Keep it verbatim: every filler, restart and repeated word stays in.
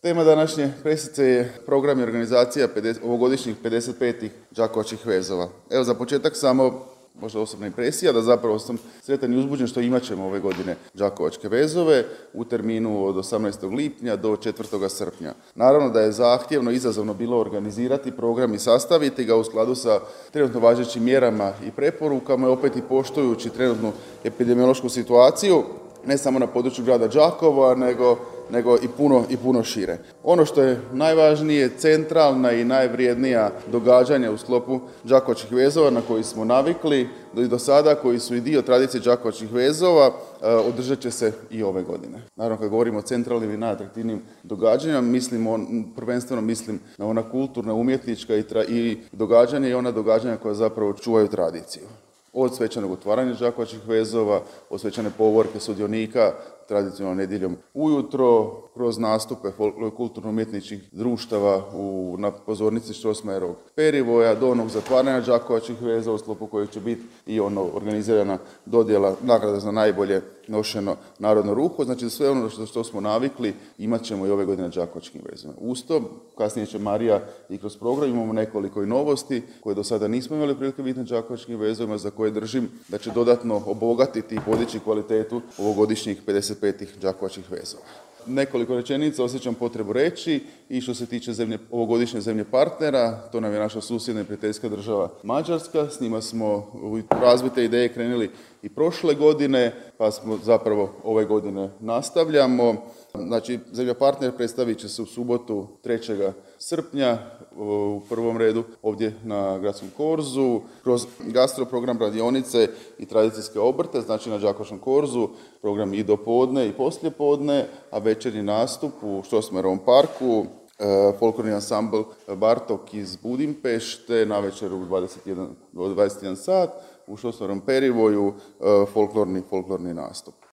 Tema današnje presice je program i organizacija ovogodišnjih pedeset petih Đakovačkih vezova. Evo za početak samo možda osobna impresija da zapravo sam sretan i uzbuđen što imat ćemo ove godine Đakovačke vezove u terminu od osamnaestog lipnja do četvrtog srpnja. Naravno da je zahtjevno i izazovno bilo organizirati program i sastaviti ga u skladu sa trenutno važećim mjerama i preporukama i opet i poštujući trenutnu epidemiološku situaciju, ne samo na području grada Đakova, nego nego i puno, i puno šire. Ono što je najvažnije, centralna i najvrijednija događanja u sklopu Đakovačkih vezova na koji smo navikli i do sada, koji su i dio tradicije Đakovačkih vezova, održat će se i ove godine. Naravno, kad govorimo o centralnim i najatraktivnijim događanjima, mislim on, prvenstveno mislim na ona kulturna, umjetnička i, tra, i događanja i ona događanja koja zapravo čuvaju tradiciju. Od svečanog otvaranja Đakovačkih vezova, od svečane povorke sudionika, tradicionalno nedjeljom ujutro, kroz nastupe kulturno-umjetničkih društava u, na pozornici Strossmayerovog perivoja, do onog zatvaranja Đakovačkih vezova, u sklopu kojeg će biti i ono organizirana dodjela nagrada za najbolje nošeno narodno ruho. Znači sve ono što, što smo navikli imat ćemo i ove godine na Đakovačkim vezovima. Uz to, kasnije će Marija i kroz program imamo nekoliko i novosti koje do sada nismo imali prilike vidjeti na Đakovačkim vezovima, za koje držim da će dodatno obogatiti i podići kvalitetu ovogodišnjih pedeset petih Đakovačkih vezova. Nekoliko rečenica osjećam potrebu reći i što se tiče zemlje, ovogodišnje zemlje partnera, to nam je naša susjedna i prijateljska država Mađarska. S njima smo u razvoj te ideje krenuli i prošle godine, pa smo zapravo ove godine nastavljamo. Znači, zemlja partner predstavit će se u subotu trećeg srpnja u prvom redu ovdje na Gradskom korzu, kroz gastroprogram, radionice i tradicijske obrte, znači na Đakovačkom korzu, program i do podne i poslije podne, a večernji nastup u Strossmayerovom parku, folklorni ansambl Bartok iz Budimpešte, navečer u dvadeset jedan, dvadeset jedan sat, u Strossmayerovom perivoju folklorni, folklorni nastup.